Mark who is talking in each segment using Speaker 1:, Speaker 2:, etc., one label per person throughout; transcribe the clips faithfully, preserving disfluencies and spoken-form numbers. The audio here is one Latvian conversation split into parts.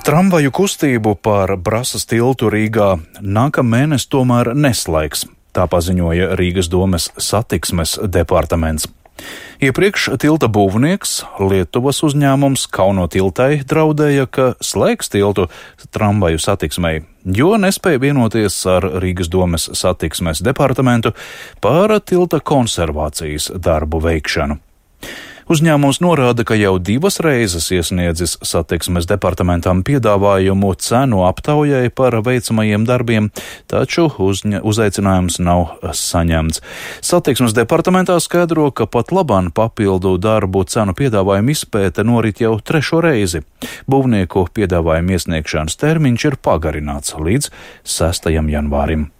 Speaker 1: Tramvaju kustību par Brasas tiltu Rīgā nākamēnes tomēr neslēgs, tā paziņoja Rīgas domes satiksmes departaments. Iepriekš tilta būvnieks, Lietuvas uzņēmums Kauno tiltai, draudēja, ka slēgs tiltu tramvaju satiksmei, jo nespēja vienoties ar Rīgas domes satiksmes departamentu par tilta konservācijas darbu veikšanu. Uzņēmums norāda, ka jau divas reizes iesniedzis satiksmes departamentam piedāvājumu cenu aptaujai par veicamajiem darbiem, taču uzņa, uzaicinājums nav saņemts. Satiksmes departamentā skaidro, ka pat labāk papildu darbu cenu piedāvājumu izpēte norit jau trešo reizi. Būvnieku piedāvājumu iesniegšanas termiņš ir pagarināts līdz sestajam janvārim.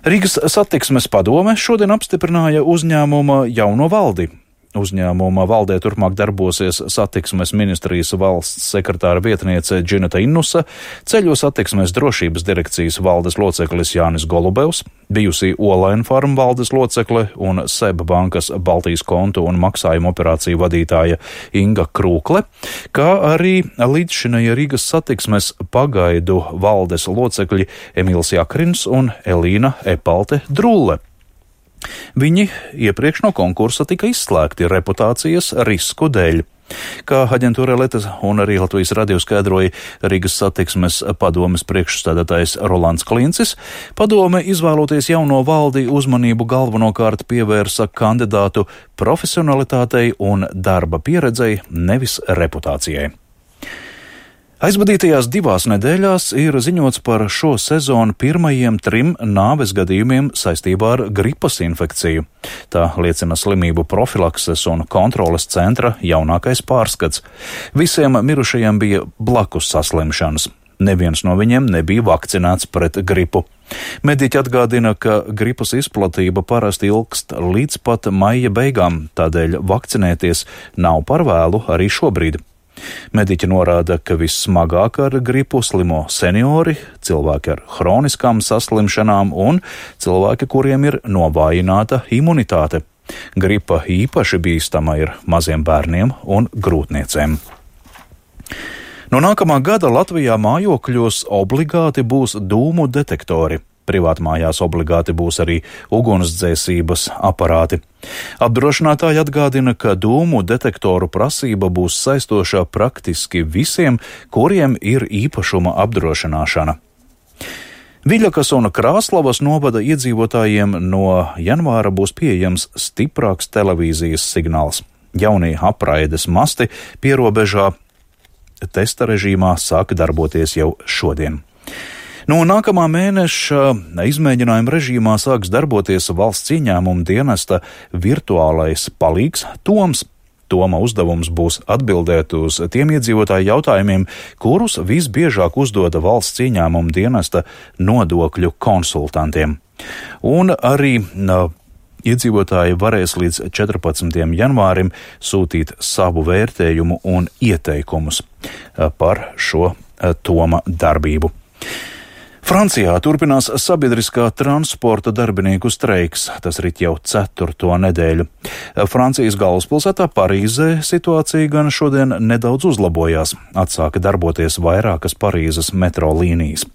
Speaker 1: Rīgas satiksmes padome šodien apstiprināja uzņēmuma jauno valdi. Uzņēmuma valdē turpmāk darbosies satiksmes ministrijas valsts sekretāra vietniece Džineta Innusa, ceļu satiksmes drošības direkcijas valdes loceklis Jānis Golubevs, bijusī Olaina farma valdes locekle un S E B bankas Baltijas kontu un maksājumu operāciju vadītāja Inga Krūkle, kā arī līdzšinēja Rīgas satiksmes pagaidu valdes locekļi Emīls Jakrins un Elīna Epalte Drulle. Viņi iepriekš no konkursa tika izslēgti reputācijas risku dēļ. Kā aģentūra Leta un arī Latvijas radio skaidroja Rīgas satiksmes padomes priekšstādātājs Rolands Klincis, padome izvēloties jauno valdi uzmanību galvenokārt pievērsa kandidātu profesionalitātei un darba pieredzei, nevis reputācijai. Aizvadītajās divās nedēļās ir ziņots par šo sezonu pirmajiem trim nāves gadījumiem saistībā ar gripas infekciju. Tā liecina slimību profilakses un kontroles centra jaunākais pārskats. Visiem mirušajiem bija blakus saslimšanas. Neviens no viņiem nebija vakcinēts pret gripu. Mediķi atgādina, ka gripas izplatība parasti ilgst līdz pat maija beigām, tādēļ vakcinēties nav par vēlu arī šobrīd. Mediķi norāda, ka vissmagāk ar gripu slimo seniori, cilvēki ar hroniskām saslimšanām un cilvēki, kuriem ir novājināta imunitāte. Gripa īpaši bīstama ir maziem bērniem un grūtniecēm. No nākamā gada Latvijā mājokļos obligāti būs dūmu detektori. Privātmājās obligāti būs arī ugunsdzēsības aparāti. Apdrošinātāji atgādina, ka dūmu detektoru prasība būs saistošā praktiski visiem, kuriem ir īpašuma apdrošināšana. Viļakas un Krāslavas novada iedzīvotājiem no janvāra būs pieejams stiprāks televīzijas signāls. Jaunie apraides masti pierobežā testa režīmā sāk darboties jau šodien. No nākamā mēneša izmēģinājuma režīmā sāks darboties valsts ieņēmuma dienesta virtuālais palīgs Toms. Toma uzdevums būs atbildēt uz tiem iedzīvotāju jautājumiem, kurus visbiežāk uzdoda valsts ieņēmuma dienesta nodokļu konsultantiem. Un arī uh, iedzīvotāji varēs līdz četrpadsmitajam janvārim sūtīt savu vērtējumu un ieteikumus uh, par šo uh, Toma darbību. Francijā turpinās sabiedriskā transporta darbinieku streiks. Tas rit jau ceturto nedēļu. Francijas galvaspilsētā Parīzē situācija gan šodien nedaudz uzlabojās. Atsāka darboties vairākas Parīzes metro līnijas.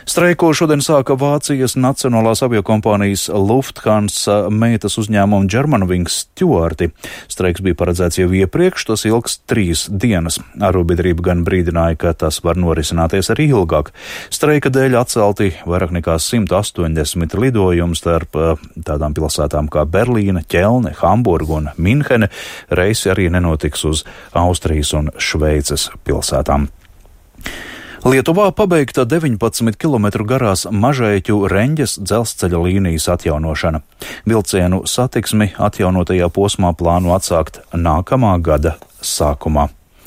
Speaker 1: Streiku šodien sāka Vācijas nacionālās aviokompānijas Lufthansa meitas uzņēmuma Germanwings stjuarti. Streiks bija paredzēts jau iepriekš, tas ilgs trīs dienas. Arotbiedrība gan brīdināja, ka tas var norisināties arī ilgāk. Streika dēļ atcelti vairāk nekā simt astoņdesmit lidojumi starp tādām pilsētām kā Berlīne, Ķelne, Hamburga un Minhene. Reisi arī nenotiks uz Austrijas un Šveices pilsētām. Lietuvā pabeigta deviņpadsmit kilometru garās Mažeiķu Reņģes dzelzceļa līnijas atjaunošana. Vilcienu satiksmi atjaunotajā posmā plāno atsākt nākamā gada sākumā.